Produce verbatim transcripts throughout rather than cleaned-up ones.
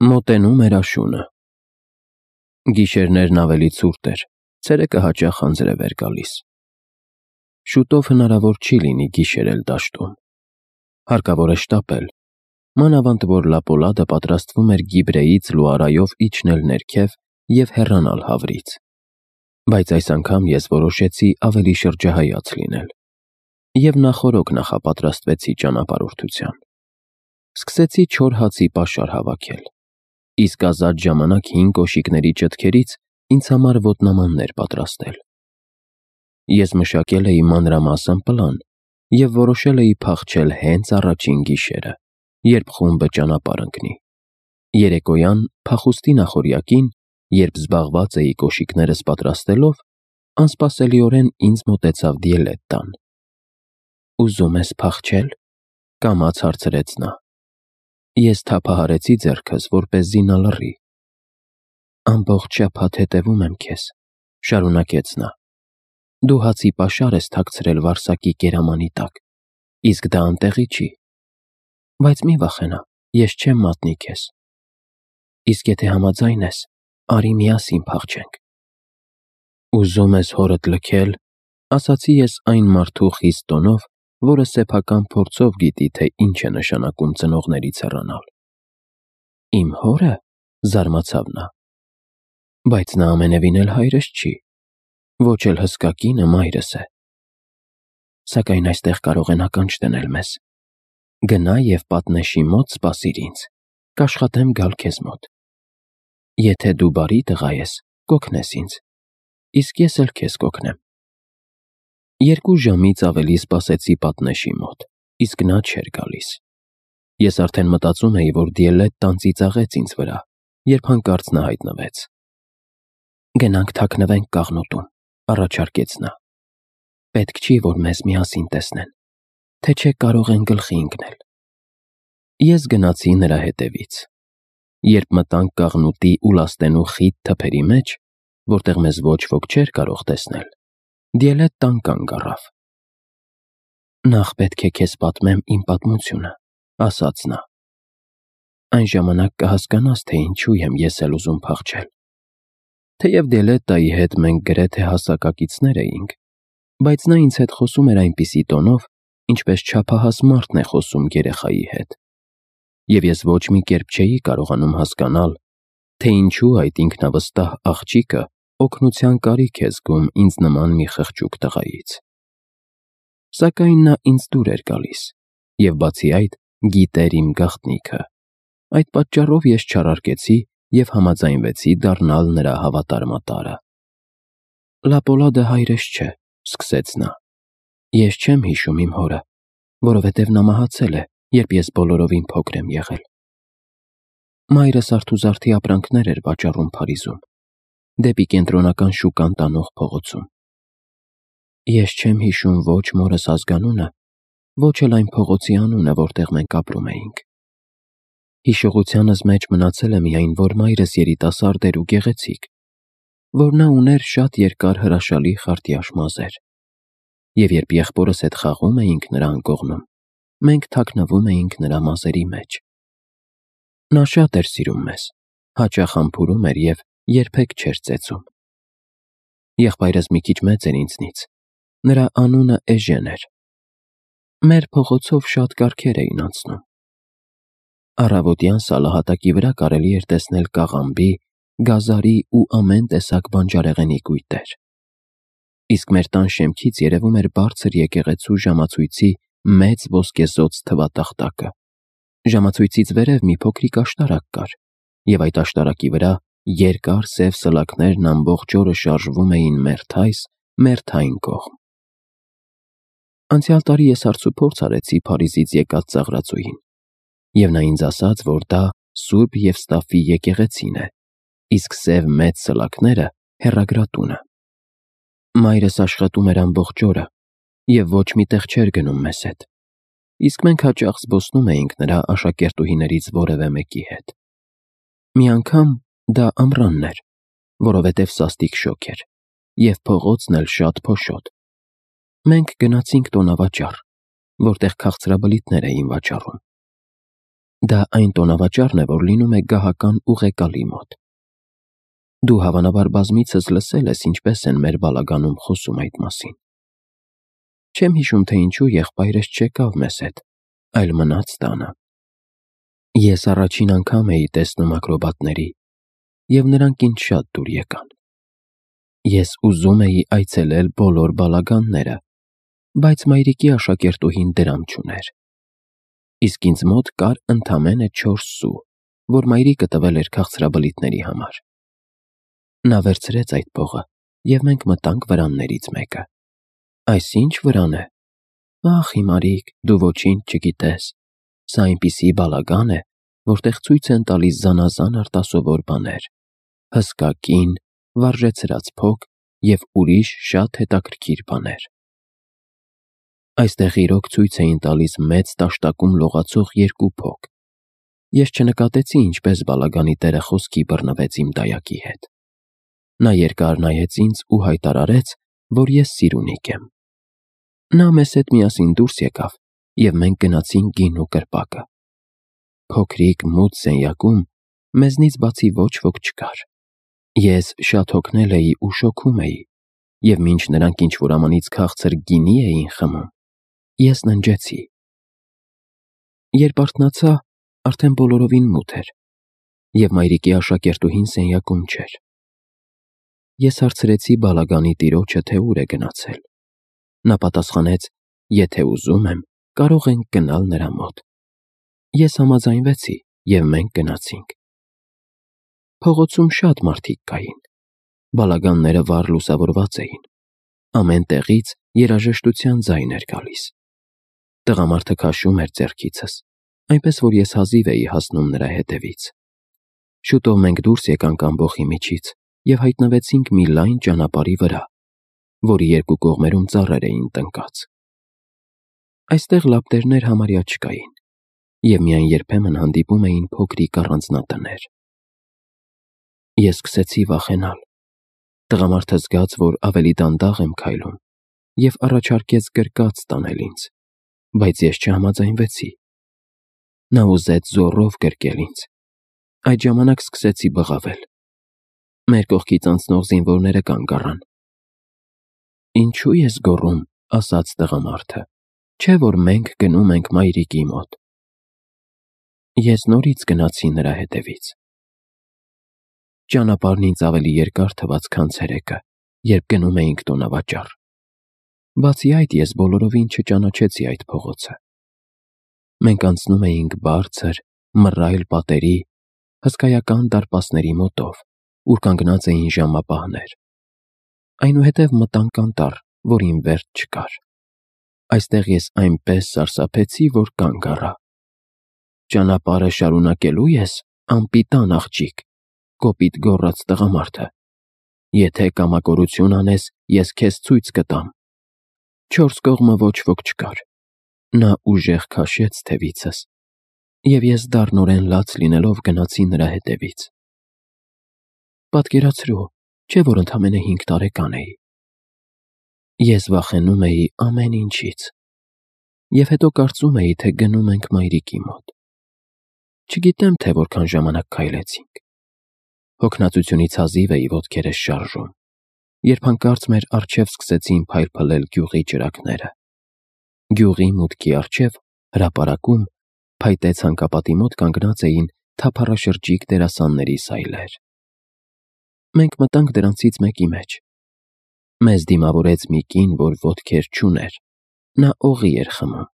Մոտենում էր աշունը։ Գիշերներն ավելի ցուրտ էր, ցերեկը հաճախ անձրև էր գալիս։ Շուտով հնարավոր չի լինի գիշերել դաշտում։ Հարկավոր է շտապել, մանավանդ որ Լապոլադը պատրաստվում էր Գիբրեից լուարայով իջնել ներքև և հեռանալ Հավրից։ Բայց այս անգամ ես որոշեցի ավելի շրջահայաց լինել և նախօրոք նախապատրաստվեցի ճանապարհորդության։ Սկսեցի չոր հացի պաշար հավաքել, իսկ ազատ ժամանակ հին կոշիկների ճտքերից ինձ համար ոտնամաններ պատրաստել։ Ես մշակել էի մանրամասն պլան և որոշել էի փախչել հենց առաջին գիշերը, երբ խումբը ճանապարհ ընկնի։ Երեկոյան փախուստի նախօրյակին, երբ զբաղված էի կոշիկներս պատրաստելով, անսպասելիորեն ինձ մոտեցավ Դիելետտան։ «Ուզում ես փախչել», կամաց հարցրեց նա։ Ես թափահարեցի ձեռքս, որպեսզի նա լռի։ «Ամբողջ շաբաթ հետևում եմ քեզ», շարունակեց նա։ «Դու հացի պաշար ես թաքցրել վարսակի կերամանի տակ, իսկ դա անտեղի չի։ Բայց մի վախենա, ես չեմ մատնի քեզ։ Իսկ եթե համաձայն ես, արի միասին փախչենք»։ «Ուզում ես հորդ լքել», ասացի ես այն մարդու խիստ տոնով, որը սեփական փորձով գիտի, թե ինչ է նշանակում ծնողներից հեռանալ։ «Իմ հո՞րը», զարմացավ նա։ «Բայց նա ամենևին էլ հայրս չի, ոչ էլ հսկա կինը մայրս է։ Սակայն այստեղ կարող են ականջ դնել մեզ։ Գնա և պատնեշի մոտ սպասիր ինձ, կաշխատեմ գալ քեզ մոտ։ Եթե դու բարի տղա ես, կօգնես ինձ, իսկ ես էլ քեզ կօգնեմ»։ Երկու ժամից ավելի սպասեցի պատնեշի մոտ, իսկ նա չէր գալիս։ Ես արդեն մտածում էի, որ Դիելետտան ծիծաղեց ինձ վրա, երբ հանկարծ նա հայտնվեց։ «Գնանք թաքնվենք կաղնուտում», առաջարկեց նա։ «Պետք չի, որ մեզ միասին տեսնեն, թե չէ կարող են գլխի ընկնել»։ Ես գնացի նրա հետևից։ Երբ մտանք կաղնուտի ու լաստենու խիտ թփերի մեջ, որտեղ մեզ ոչ ոք չէր կարող տեսնել, Դիելետտան կանգ առավ։ «Նախ պետք է քեզ պատմեմ իմ պատմությունը», ասաց նա։ «Այն ժամանակ կհասկանաս, թե ինչու եմ ես էլ ուզում փախչել»։ Թեև Դիելետտայի հետ մենք գրեթե հասակակիցներ էինք, բայց նա ինձ հետ խոսում էր այնպիսի տոնով, ինչպես չափահաս մարդ է խոսում երեխայի հետ, և ես ոչ մի կերպ չէի կարողանում հասկանալ, թե ինչու այդ ինքնավստահ աղջիկը օգնության կարիք է զգում ինձ նման մի խղճուկ տղայից։ Սակայն նա ինձ դուր էր գալիս և բացի այդ գիտեր իմ գաղտնիքը։ Այդ պատճառով ես չարարկեցի և համաձայնվեցի դառնալ նրա հավատարմատարը։ «Լապոլադը հայրս չէ», սկսեց նա։ «Ես չեմ հիշում իմ հորը, որովհետև նա մահացել է, երբ ես բոլորովին փոքր եմ եղել։ Մայրս արթուզարդի ապրանքներ էր վաճառում Փարիզում, դեպի Կենտրոնական շուկան տանող փողոցում։ Ես չեմ հիշում ոչ մորս ազգանունը, ոչ էլ այն փողոցի անունը, որտեղ մենք ապրում էինք։ Հիշողությանս մեջ մնացել է միայն, որ մայրս երիտասարդ էր ու գեղեցիկ, որ նա ուներ շատ երկար հրաշալի խարտյաշ մազեր, և երբ եղբորս հետ խաղում էինք նրա անկողնում, մենք թաքնվում էինք նրա մազերի մեջ։ Նա շատ էր սիրում մեզ, հաճախ համբուրում էր և երբեք չէր ծեծում։ Եղբայրս մի քիչ մեծ էր ինձնից, նրա անունը Էժեն էր։ Մեր փողոցով շատ կառքեր էին անցնում։ Առավոտյան սալահատակի վրա կարելի էր տեսնել կաղամբի, գազարի ու ամեն տեսակ բանջարեղենի կույտեր։ Իսկ մեր տան շեմքից երևում էր բարձր եկեղեցու ժամացույցի մեծ ոսկեզօծ թվատախտակը։ Ժամացույցից վերև մի փոքրիկ աշտարակ կար, և այդ աշտարակի վրա երկար սև սլաքներն ամբողջ օրը շարժվում էին մերթ այս, մերթ այն կողմ։ Անցյալ տարի ես հարցուփորձ արեցի Փարիզից եկած ծաղրածուին, և նա ինձ ասաց, որ դա Սուրբ Եվստաֆի եկեղեցին է, իսկ սև մեծ սլաքները հեռագրատունը։ Մայրս աշխատում էր ամբողջ օրը և ոչ մի տեղ չէր գնում մեզ հետ, իսկ մենք հաճախ զբոսնում էինք նրա աշակերտուհիներից որևէ մեկի հետ։ Մի անգամ դա ամռանն էր, որովհետև սաստիկ շոգ էր, և փողոցն էլ շատ փոշոտ։ Մենք գնացինք տոնավաճառ, որտեղ քաղցրաբլիթներ էին վաճառում։ Դա այն տոնավաճառն է, որ լինում է գահական ուղեկալի մոտ։ Դու հավանաբար բազմիցս լսել ես, ինչպես են մեր բալագանում խոսում այդ մասին։ Չեմ հիշում, թե ինչու եղբայրս չեկավ մեզ հետ, այլ մնաց տանը։ Ես առաջին անգամ էի տեսնում ակրոբատների, և նրանք ինձ շատ դուր եկան։ Ես ուզում էի այցելել բոլոր բալագանները, բայց մայրիկի աշակերտուհին դրամ չուներ։ Իսկ ինձ մոտ կար ընդամենը չորս սու, որ մայրիկը տվել էր քաղցրաբլիթների համար։ Նա վերցրեց այդ փողը, և մենք մտանք վրաններից մեկը։ Այս ի՞նչ վրան է։ Ախ, հիմարիկ, դու ոչինչ չգիտես։ Սա այնպիսի բալագան է, որտեղ ցույց են տալիս զանազան արտասովոր բաներ, հսկա կին, վարժեցրած փոք և ուրիշ շատ հետաքրքիր բաներ։ Այստեղ իրոք ցույց էին տալիս մեծ տաշտակում լողացող երկու փոք։ Ես չնկատեցի, ինչպես բալագանի տերը խոսքի բռնվեց իմ դայակի հետ։ Նա երկար նայեց ինձ ու հայտարարեց, որ ես սիրունիկ եմ։ Նա մեզ հետ միասին դուրս եկավ, և մենք գնացինք գինու կրպակը։ Փոքրիկ մութ սենյակում մեզնից բացի ոչ ոք չկար։ Ես շատ հոգնել էի ու շոգում էի, և մինչ նրանք ինչ-որ ամանից քաղցր գինի էին խմում, ես ննջեցի։ Երբ արթնացա, արդեն բոլորովին մութ էր, և մայրիկի աշակերտուհին սենյակում չէր։ Ես հարցրեցի բալագանի տիրոջը, թե ուր է գնացել։ Նա պատասխանեց, եթե ուզում եմ, կարող ենք գնալ նրա մոտ։ Ես համաձայնվեցի, և մենք գնացինք։ Փողոցում շատ մարդիկ կային։ Բալագանները վառ լուսավորված էին։ Ամեն տեղից երաժշտության ձայն էր գալիս։ Տղամարդը քաշում էր ձեռքիցս, այնպես որ ես հազիվ էի հասնում նրա հետևից։ Շուտով մենք դուրս եկանք ամբոխի միջից և հայտնվեցինք մի լայն ճանապարհի վրա, որի երկու կողմերում ծառեր էին տնկած։ Այստեղ լապտերներ համարյա չկային, և միայն երբեմն հանդիպում էին փոքրիկ առանձնատներ։ Ես սկսեցի վախենալ։ Տղամարդը զգաց, որ ավելի դանդաղ եմ քայլում, և առաջարկեց գրկած տանել ինձ, բայց ես չհամաձայնվեցի։ Նա ուզեց զոռով գրկել ինձ։ Այդ ժամանակ սկսեցի բղավել։ Մեր կողքից անցնող զինվորները կանգ առան։ Ինչու ես գոռում, ասաց տղամարդը, չէ՞ որ մենք գնում ենք մայրիկի մոտ։ Ես նորից գնացի նրա հետևից։ Ճանապարհն ինձ ավելի երկար թվաց, քան ցերեկը, երբ գնում էինք տոնավաճառ։ Բացի այդ, ես բոլորովին չճանաչեցի այդ փողոցը։ Մենք անցնում էինք բարձր, մռայլ պատերի, հսկայական դարպասների մոտով, ուր կանգնած էին ժամապահներ։ Այնուհետև մտանք անտառ, որին վերջ չկար։ Այստեղ ես այնպես սարսափեցի, որ կանգ առա։ Ճանապարհը շարունակելու ես, անպիտան աղջիկ, կոպիտ գոռաց տղամարդը։ Եթե կամակորություն անես, ես քեզ ցույց կտամ։ Չորս կողմը ոչ ոք չկար։ Նա ուժեղ քաշեց թևիցս, և ես դառնորեն լաց լինելով գնացի նրա հետևից։ Պատկերացրու, չէ՞ որ ընդամենը հինգ տարեկան էի։ Ես վախենում էի ամեն ինչից, և հետո կարծում էի, թե գնում ենք մայրիկի մոտ։ Չգիտեմ, թե որքան ժամանակ քայլեցինք։ Հոգնածությունից հազիվ էի ոտքերս շարժում, երբ հանկարծ մեր առջև սկսեցին փայլփլել գյուղի ճրագները։ Գյուղի մուտքի առջև, հրապարակում, փայտե ցանկապատի մոտ կանգնած էին թափառաշրջիկ դերասանների սայլեր։ Մենք մտանք դրանցից մեկի մեջ։ Մեզ դիմավորեց մի կին, որ ոտքեր չուներ։ Նա օղի էր խմում։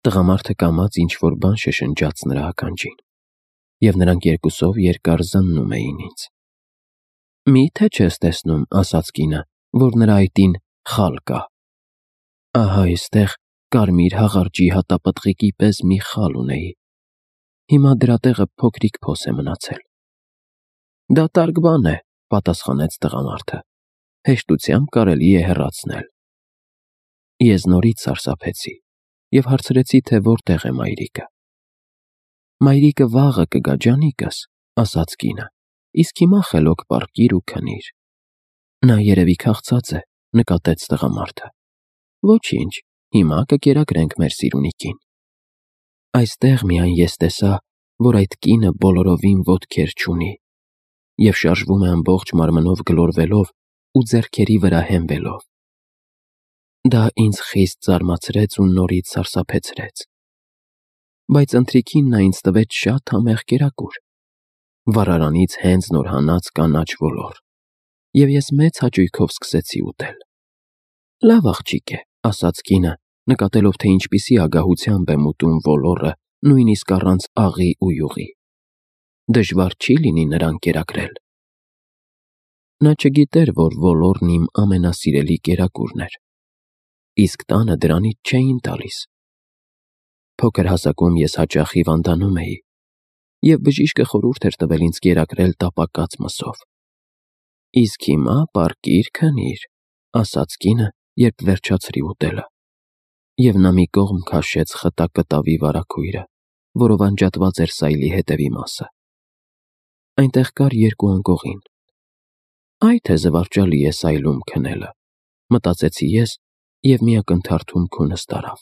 Տղամարդը կամաց ինչ-որ բան շշնջաց նրա ականջին, և նրանք երկուսով երկար զննում էին ինձ։ Մի՞թե չես տեսնում, ասաց կինը, որ նրա այտին խալ կա։ Ահա այստեղ կարմիր հաղարջի հատապտղիկի պես մի խալ ունեի։ Հիմա դրա տեղը փոքրիկ փոս է մնացել։ Դատարկ բան է, պատասխանեց տղամարդը, հեշտությամբ կարելի է հեռացնել։ Ես նորից սարսափեցի և հարցրեցի, թե որտեղ է մայրիկը։ Մայրիկը վաղը կգա, ջանիկս, ասաց կինը, իսկ հիմա խելոք պառկիր ու քնիր։ Նա երևի քաղցած է, նկատեց տղամարդը։ Ոչինչ, հիմա կկերակրենք մեր սիրունիկին։ Այստեղ միայն ես տեսա, որ այդ կինը բոլորովին ոտքեր չունի և շարժվում է ամբողջ մարմնով գլորվելով ու ձեռքերի վրա հենվելով։ Դա ինձ խիստ զարմացրեց ու նորից սարսափեցրեց։ Բայց ընթրիքին նա ինձ տվեց շատ համեղ կերակուր, վառարանից հենց նոր հանած կանաչ ոլոր, և ես մեծ հաճույքով սկսեցի ուտել։ «Լավ աղջիկ է», ասաց կինը, նկատելով, թե ինչպիսի ագահությամբ եմ ուտում ոլորը նույնիսկ առանց աղի ու յուղի։ «Դժվար չի լինի նրան կերակրել»։ Նա չգիտեր, որ ոլորն իմ ամենասիրելի կերակուրն էր, իսկ տանը դրանից չէին տալիս։ Փոքր հասակում ես հաճախ հիվանդանում էի, և բժիշկը խորհուրդ էր տվել ինձ կերակրել տապակած մսով։ «Իսկ հիմա պառկիր, քնիր», ասաց կինը, երբ վերջացրի ուտելը, և նա մի կողմ քաշեց խտա կտավի վարագույրը, որով անջատված էր սայլի հետևի մասը։ Այնտեղ կար երկու անկողին։ «Այ թե զվարճալի է սայլում քնելը», մտածեցի ես, և մի ակնթարթում քունս տարավ։